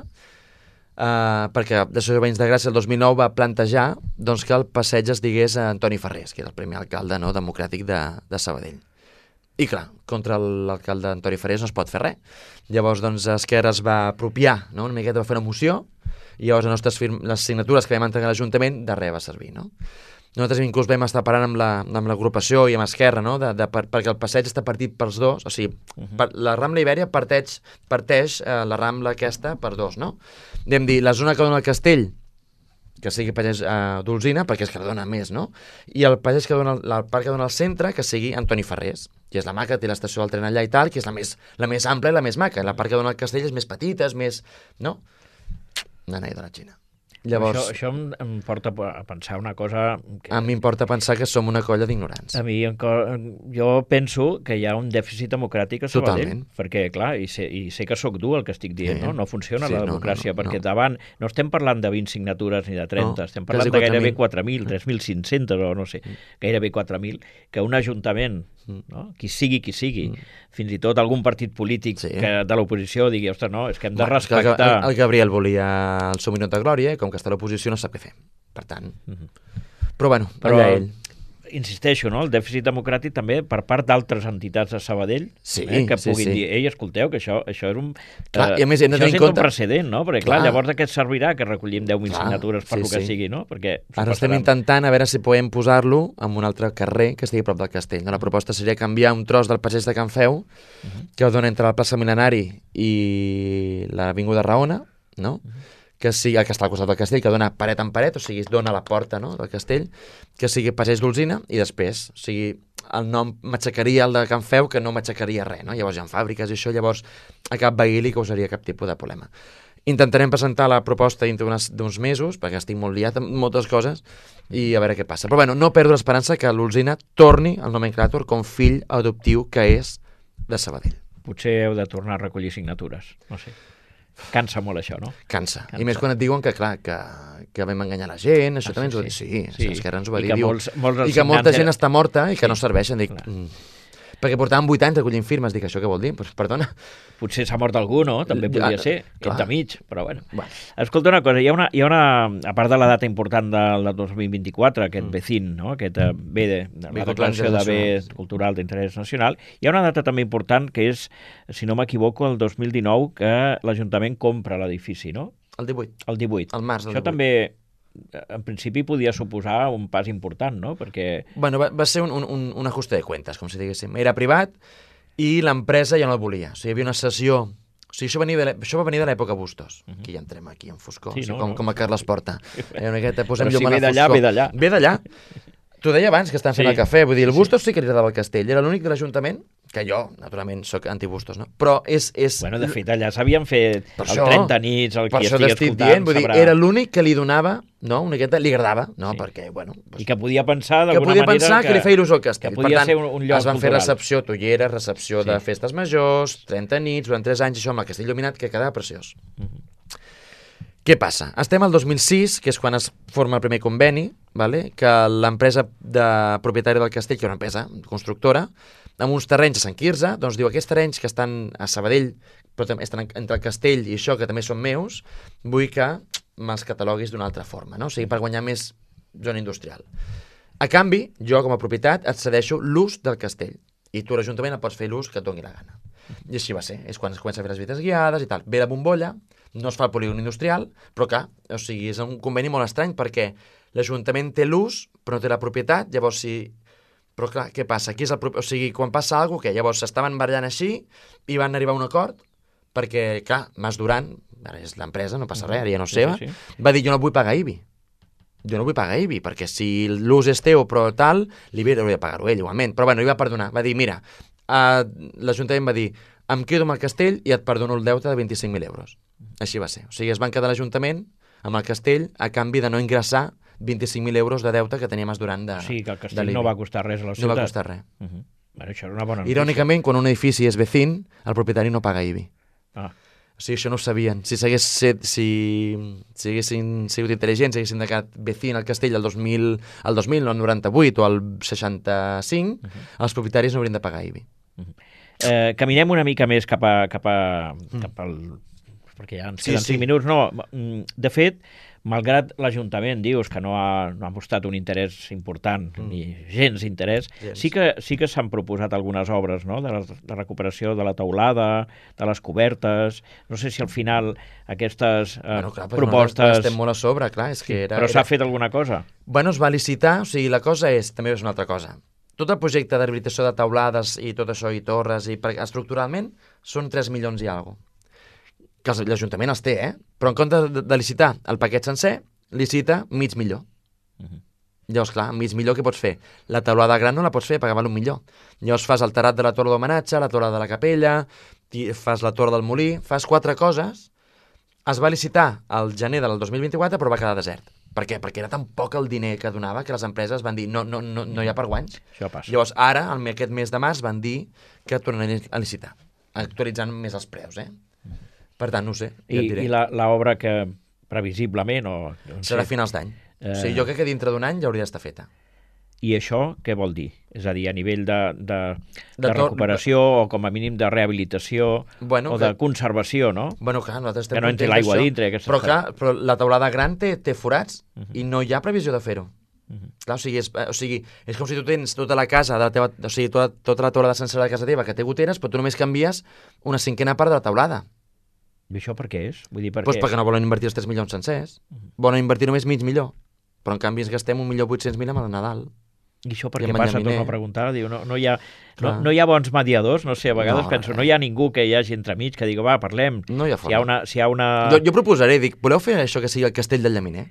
perquè l'Associació de Veïns de Gràcia el 2009 va plantejar, doncs, que el passeig es digués a Antoni Ferrés, que era el primer alcalde, no?, democràtic de Sabadell. I clar, contra l'alcalde Antoni Ferrés no es pot fer res. Llavors, doncs, Esquerra es va apropiar, no?, una miqueta, va fer una moció, i llavors les signatures que vam entregar a l'Ajuntament de res va servir, no? Nosaltres inclús vam estar parlant amb l'agrupació i amb Esquerra, no?, perquè el passeig està partit pels dos, o sigui, la Rambla Ibèria parteix la Rambla aquesta per dos, no? Vam dir, la zona que dona el castell, que sigui Passeig d'Olzina, perquè és que la dona més, no? I el passeig que dona, el parc que dona al centre, que sigui Antoni Ferrés, que és la maca, té l'estació del tren allà i tal, que és la més ampla i la més maca. La part que dona el castell és més petita, és més... no? Una noia de la Xina. Llavors, això em porta a pensar una cosa... A mi em porta a pensar que som una colla d'ignorants. A mi, jo penso que hi ha un dèficit democràtic a Sabadell. Totalment. Perquè, clar, i sé que sóc dur el que estic dient, Sí. no? No funciona Sí, la democràcia, perquè no. davant no estem parlant de 20 signatures ni de 30, estem parlant quasi de gairebé 4.000. 3.500 o no sé, gairebé 4.000, que un ajuntament, no? Qui sigui, fins i tot algun partit polític de l'oposició digui, ostres, no, és que hem de respectar... El Gabriel volia el seu minut de glòria, i com que està a l'oposició no sap què fer. Per tant... Però bueno, allà ell. Insisteixo, no? El dèficit democràtic també per part d'altres entitats de Sabadell que puguin dir, ei, escolteu, que això és un... Clar, i a més hem de tenir en compte... un precedent, no? Perquè, clar, llavors de què et servirà que recollim 10.000 signatures per lo que sigui, no? Perquè ara estem intentant a veure si podem posar-lo en un altre carrer que estigui a prop del castell. No? La proposta seria canviar un tros del passeig de Can Feu, que dona entre la plaça Mil·lenari i l'avinguda Raona, no? Que sigui el que està al costat del castell, que dona paret en paret, o sigui, es dona a la porta, no?, del castell, que sigui Passeig d'Olzina, i després, o sigui, el nom m'aixecaria el de Can Feu, que no m'aixecaria res, no? Llavors hi ha fàbriques i això, llavors a cap veí li causaria cap tipus de problema. Intentarem presentar la proposta dintre d'uns mesos, perquè estic molt liat amb moltes coses, i a veure què passa. Però bueno, no perdo l'esperança que l'Olzina torni al nomenclàtor com fill adoptiu que és de Sabadell. Potser heu de tornar a recollir signatures, no sé. Cansa molt això, no? Cansa. I més quan et diuen que, clar, que vam enganyar la gent, això també ens ho va dir. Sí, Esquerra ens ho va dir. I que molta gent està morta i que no serveixen. Dic, perquè portàvem 8 anys recollint firmes. Dic, això què vol dir? Pues, perdona. Potser s'ha mort algú, no? També podria ser, entremig, però bueno. Escolta una cosa, hi ha una, a part de la data important del 2024, aquest BECIN, no? Aquest bé de la declaració de bé cultural d'interès nacional, hi ha una data també important que és, si no m'equivoco, el 2019, que l'Ajuntament compra l'edifici, no? El 18. El 18. El març del 18. Això també, en principi, podia suposar un pas important, no? Perquè... Bueno, va ser un ajuste de cuentas, com si diguéssim. Era privat i l'empresa ja no el volia. O sigui, hi havia una sessió... O sigui, això va venir de l'època Bustos. Aquí ja entrem aquí en foscor, sí, com a Carles Porta. Però si ve d'allà. Ve d'allà. T'ho deia abans, que estan fent el cafè. Vull dir, el Bustos sí que li agradava el castell. Era l'únic de l'Ajuntament que jo, naturalment, sóc antibustos, no? Però és... Bueno, de fet, allà s'havien fet Per el això- 30 nits, el Per qui això estigui t'estic escoltant dient, vull dir, sabrà. era l'únic que li donava, no? Una miqueta li agradava, no? Sí. Perquè, bueno... I que podia pensar que d'alguna podia manera pensar que li feia il·lusió al castell. que podia Per tant, ser un lloc es van fer cultural. recepció tollera, recepció de Sí. festes majors, 30 nits, durant 3 anys, això amb el castell il·luminat, que quedava preciós. Què passa? Estem al 2006, que és quan es forma el primer conveni, vale? Que l'empresa propietària del castell, que és una empresa constructora, amb uns terrenys a Sant Quirze, doncs diu, aquests terrenys que estan a Sabadell, però també estan entre el castell i això, que també són meus, vull que me'ls cataloguis d'una altra forma, no? O sigui, per guanyar més zona industrial. A canvi, jo com a propietat et cedeixo l'ús del castell i tu l'Ajuntament et pots fer l'ús que et doni la gana. I així va ser, és quan es comença a fer les visites guiades i tal. Ve la bombolla, no es fa el polígon industrial, però clar, o sigui, és un conveni molt estrany perquè l'Ajuntament té l'ús però no té la propietat, llavors si... Però clar, què passa? Aquí és o sigui, quan passa alguna cosa, què? Llavors s'estaven barallant així i van arribar a un acord perquè, clar, Mas Duran, ara és l'empresa, no passa res, ara ja no és seva, va dir, jo no vull pagar IBI. Jo no vull pagar IBI, perquè si l'ús és teu però tal, l'IBI hauria de pagar-ho ell, igualment. Però bueno, li va perdonar. Va dir, mira, l'Ajuntament va dir, em quedo amb el castell i et perdono el deute de 25.000 euros. Així va ser. O sigui, es van quedar l'Ajuntament amb el castell a canvi de no ingressar 25.000 euros de deute que tenia Mas Duran de Sí, que el castell no va costar res a la ciutat. No va costar res. Bueno, això era una bona notícia. Irònicament, quan un edifici és vecín, el propietari no paga IBI. Ah. O sigui, això no ho sabien. Si haguessin sigut intel·ligents, haguessin quedat vecín al castell el 2000, no el 98 o el 65, els propietaris no haurien de pagar IBI. Caminem una mica més cap al... perquè ja ens queden 5 minuts. No, de fet, malgrat l'Ajuntament dius que no ha mostrat un interès important, ni gens interès, sí que s'han proposat algunes obres, no? de recuperació de la teulada, de les cobertes, no sé si al final aquestes propostes... Estem molt a sobre, clar. És que però s'ha fet alguna cosa? Bueno, es va licitar, o sigui, la cosa és, també és una altra cosa. Tot el projecte de rehabilitació de teulades i tot això, i torres, i estructuralment, són 3 milions i alguna cosa. Que l'Ajuntament els té, però en comptes de licitar el paquet sencer, licita mig milió. Llavors, clar, mig milió què pots fer? La teulada gran no la pots fer, perquè val 1 milió. Llavors fas el terrat de la torre d'homenatge, la torre de la capella, fas la torre del molí, fas 4 coses. Es va licitar al gener del 2024, però va quedar desert. Per què? Perquè era tan poc el diner que donava que les empreses van dir no hi ha per guanys. Això passa. Llavors, ara, aquest mes de març, van dir que tornarien a licitar, actualitzant més els preus, Per tant, no ho sé, ja et diré. I l'obra que previsiblement... Serà a finals d'any. O sigui, jo crec que dintre d'un any ja hauria d'estar feta. I això què vol dir? És a dir, a nivell de recuperació o com a mínim de rehabilitació o de conservació, no? Bueno, clar, nosaltres estem que no entri l'aigua dintre. Però clar, la teulada gran té forats i no hi ha previsió de fer-ho. Clar, o sigui, és com si tu tens tota la casa de la teva, o sigui, tota la teulada sencera de casa teva que té goteres, però tu només canvies una 5a part de la teulada. I això per què és? Vull dir, perquè no volen invertir els 3 milions sencers. Volen invertir només mig milió. Però en canvi ens gastem 1.800.000 amb el Nadal. I això per què passa? Torno a preguntar. Diu, no hi ha bons mediadors, no sé, a vegades penso, no hi ha ningú que hi hagi entremig que digui, va, parlem. No hi ha forma. Si hi ha una... Jo proposaré, dic, voleu fer això que sigui el castell del Llaminer?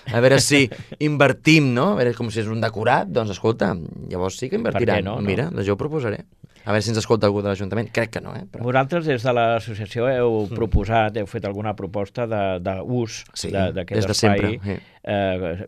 A veure si invertim, no? A veure, com si és un decorat, doncs escolta, llavors sí que invertiran. No? Mira, jo ho proposaré. A veure si ens escolta algú de l'Ajuntament. Crec que no, Però... Vosaltres, des de l'associació, heu proposat, heu fet alguna proposta d'ús d'aquest espai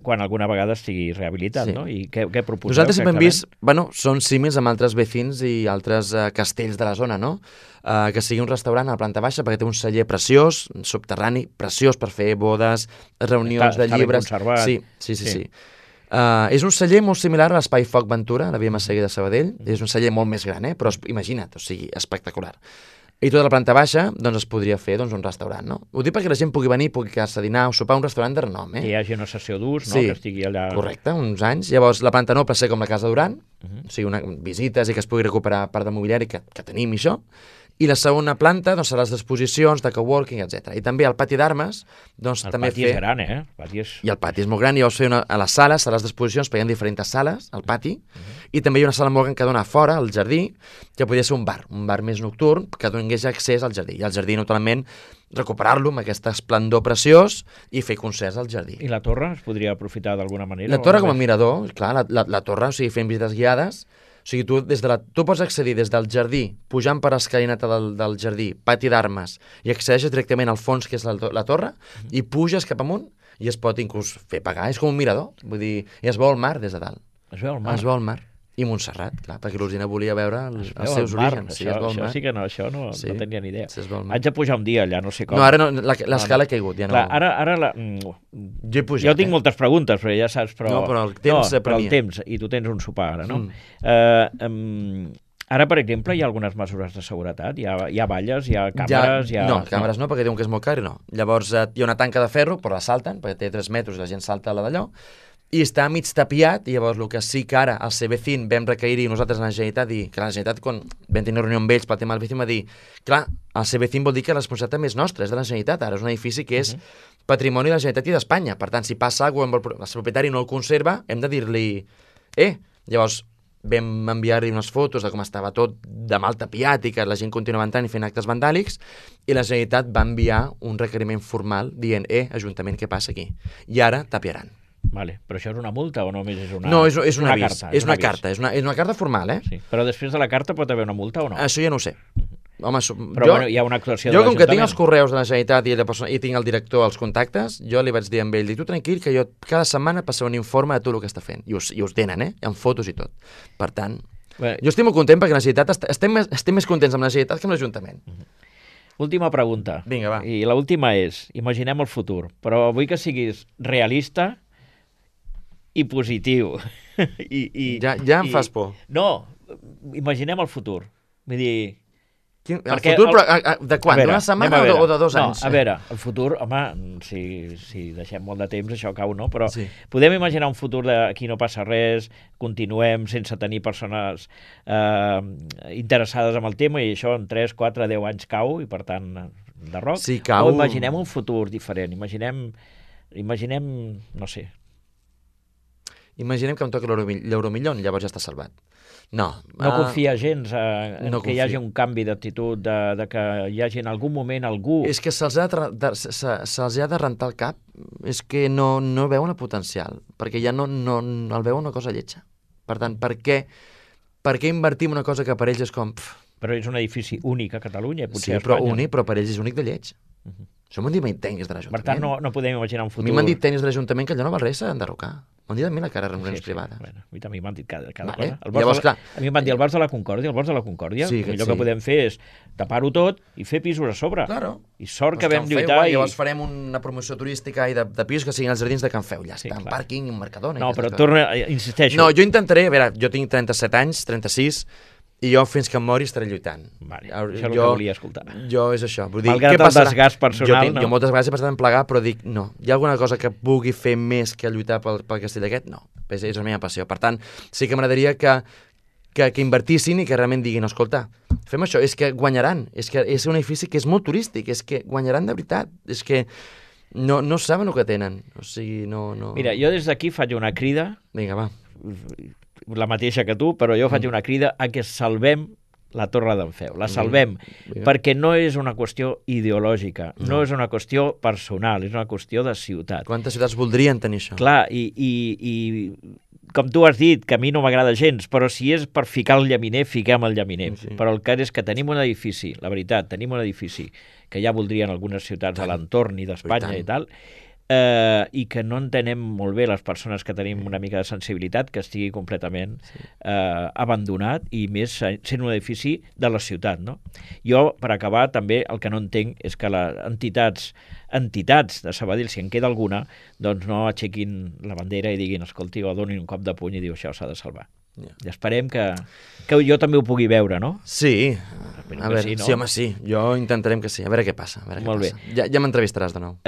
quan alguna vegada estigui rehabilitat, no? I què proposeu? Nosaltres sempre hem vist, són símils amb altres vecins i altres castells de la zona, no? Que sigui un restaurant a la planta baixa, perquè té un celler preciós, subterrani, preciós per fer bodes, reunions de llibres. Està ben conservat. Sí. És un celler molt similar a l'Espai Foc Ventura, la Via Massaguer de Sabadell. És un celler molt més gran, però imagina't, o sigui, espectacular. I tota la planta baixa, doncs es podria fer un restaurant, no? Ho dic perquè la gent pugui venir, pugui quedar-se a dinar o sopar a un restaurant de renom, Que hi hagi una sessió d'ús, no? Que estigui allà... Correcte, uns anys. Llavors, la planta noble ser com la Casa Duran, o sigui, visites i que es pugui recuperar part de mobiliari que tenim i això. I la segona planta, doncs, serà les exposicions de coworking, etc. I també el pati d'armes, doncs, també fer... El pati és gran, I el pati és molt gran, i llavors fer a les sales, serà les exposicions, perquè hi ha diferents sales, al pati, i també hi ha una sala molt gran que dona fora, al jardí, que podria ser un bar més nocturn, que donés accés al jardí. I al jardí, naturalment, recuperar-lo amb aquest esplendor preciós i fer concerts al jardí. I la torre es podria aprofitar d'alguna manera? La torre com a mirador, clar, la torre, o sigui, fent visites guiades, O sigui, tu pots accedir des del jardí, pujant per escalinata del jardí, pati d'armes, i accedeixes directament al fons, que és la torre, i puges cap amunt, i es pot inclús fer pagar. És com un mirador, vull dir, i es veu el mar des de dalt. Es veu el mar? Es veu el mar. I Montserrat, clar, perquè l'Olgina volia veure els seus orígens. Això sí que no, això no tenia ni idea. Haig de pujar un dia allà, no sé com. No, ara no, l'escala ha caigut, ja no. Clar, ara jo he pujat, jo tinc moltes preguntes, però ja saps, No, però el temps però el temps, i tu tens un sopar ara, no? Ara, per exemple, hi ha algunes mesures de seguretat? Hi ha valles, hi ha càmeres? No, càmeres no, perquè diuen que és molt car i no. Llavors hi ha una tanca de ferro, però la salten, perquè té 3 metres i la gent salta a la d'allò, i està mig tapiat, i llavors el que sí que ara al CB5 vam requerir nosaltres a la Generalitat, i que la Generalitat, quan vam tenir una reunió amb ells pel tema del CB5, va dir, clar, el CB5 vol dir que la responsabilitat també és nostra, és de la Generalitat, ara és un edifici que és patrimoni de la Generalitat i d'Espanya, per tant, si passa alguna cosa, el propietari no el conserva, hem de dir-li, llavors vam enviar-li unes fotos de com estava tot de mal tapiat i que la gent continuava entrant i fent actes vandàlics, i la Generalitat va enviar un requeriment formal dient, Ajuntament, què passa aquí? I ara tapiaran. Vale. Però això és una multa o només és una... No, és un avís. Carta, és una carta, és una carta formal, Sí. Però després de la carta pot haver una multa o no? Això ja no ho sé. Home, però hi ha una actuació de l'Ajuntament. Jo, com que tinc els l'Ajuntament. correus de la Generalitat i tinc el director als contactes, jo li vaig dir a ell, tu tranquil, que jo cada setmana passaré un informe de tot el que està fent. I us tenen, amb fotos i tot. Per tant, jo estic molt content perquè la Generalitat estem més contents amb la Generalitat que amb l'Ajuntament. Última pregunta. Vinga, va. I l'última és, imaginem el futur, però vull que siguis realista i positiu. Ja em fas por. No, imaginem el futur. Vull dir... El futur, però de quan? D'una setmana o de 2 anys? No, a veure, el futur, home, si deixem molt de temps, això cau, no? Però podem imaginar un futur aquí no passa res, continuem sense tenir persones interessades en el tema i això en 3, 4, 10 anys cau i, per tant, de roc. Sí, cau. O imaginem un futur diferent, imaginem, no sé. Imaginem que em toca l'Euromillón, llavors ja està salvat. No confia gens que hi hagi un canvi d'actitud, de que hi hagi en algun moment algú... És que se'ls ha de rentar el cap, és que no veuen el potencial, perquè ja no el veuen una cosa lletja. Per tant, per què invertir en una cosa que per ells és com... Però és un edifici únic a Catalunya, potser a Espanya. Sí, únic, però per ells és únic de lleig. Això m'han dit tècnics de l'Ajuntament. Per tant, no podem imaginar un futur... A mi m'han dit tècnics de l'Ajuntament que allò no val res, s'ha d'enderrocar. M'han dit a mi la cara de reunions privades. Bueno, a mi també m'han dit cada cosa. Llavors, clar... A mi em van dir el Bosc de la Concòrdia, el millor que podem fer és tapar-ho tot i fer pisos a sobre. Claro. I sort que vam lluitar... Llavors farem una promoció turística i de pisos que siguin els jardins de Can Feu. Ja està, un pàrquing i un mercador. No, però insisteixo... No, jo intentaré... A veure, jo tinc 37 anys, 36... I jo fins que em mori estaré lluitant. Vale, això és el que volia escoltar. Jo és això. Vull dir, malgrat el desgast personal, jo moltes vegades he passat en plegar, però dic, no. Hi ha alguna cosa que pugui fer més que lluitar pel castell aquest? No. És la meva passió. Per tant, sí que m'agradaria que invertissin i que realment diguin, escolta, fem això, és que guanyaran. És que és un edifici que és molt turístic, és que guanyaran de veritat. És que no saben el que tenen. O sigui, no... Mira, jo des d'aquí faig una crida... Vinga, va. La mateixa que tu, però jo faig una crida a que salvem la Torre d'en Feu. La salvem, perquè no és una qüestió ideològica, no és una qüestió personal, és una qüestió de ciutat. Quantes ciutats voldrien tenir això? Clar, i com tu has dit, que a mi no m'agrada gens, però si és per ficar el llaminer, fiquem el llaminer. Sí. Però el cas és que tenim un edifici, la veritat, tenim un edifici que ja voldrien algunes ciutats a l'entorn i d'Espanya i tal, i que no entenem molt bé les persones que tenim una mica de sensibilitat que estigui completament abandonat i més sent un edifici de la ciutat, no? Jo, per acabar, també el que no entenc és que les entitats de Sabadell, si en queda alguna, doncs no aixequin la bandera i diguin, escolti, o donin un cop de puny i diu, això s'ha de salvar. I esperem que jo també ho pugui veure, no? Sí, a veure, sí, home, sí. Jo intentarem que sí, a veure què passa. Molt bé. Ja m'entrevistaràs de nou.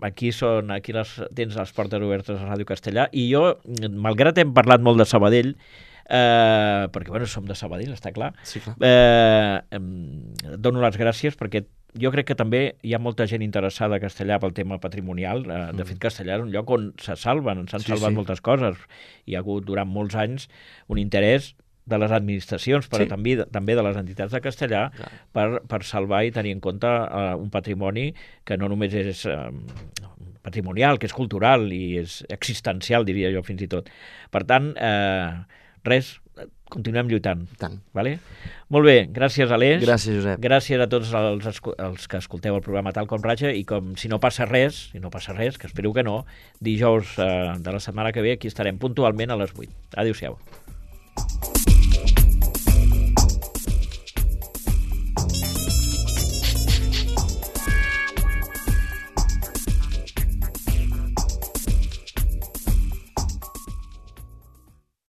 Aquí tens les portes obertes a Ràdio Castellà i jo, malgrat hem parlat molt de Sabadell, perquè, bueno, som de Sabadell, està clar, sí, clar. Dono les gràcies perquè jo crec que també hi ha molta gent interessada a Castellà pel tema patrimonial. De fet, Castellà és un lloc on s'han salvat moltes coses. Hi ha hagut durant molts anys un interès de les administracions, però també de les entitats de Castellà per salvar i tenir en compte un patrimoni que no només és patrimonial, que és cultural i és existencial, diria jo, fins i tot. Per tant, res, continuem lluitant. Tant. Vale? Molt bé, gràcies, Aleix. Gràcies, Josep. Gràcies a tots els que escolteu el programa Tal com Ratxa, i com si no passa res, que espero que no, dijous de la setmana que ve aquí estarem puntualment a les 8. Adéu-siau.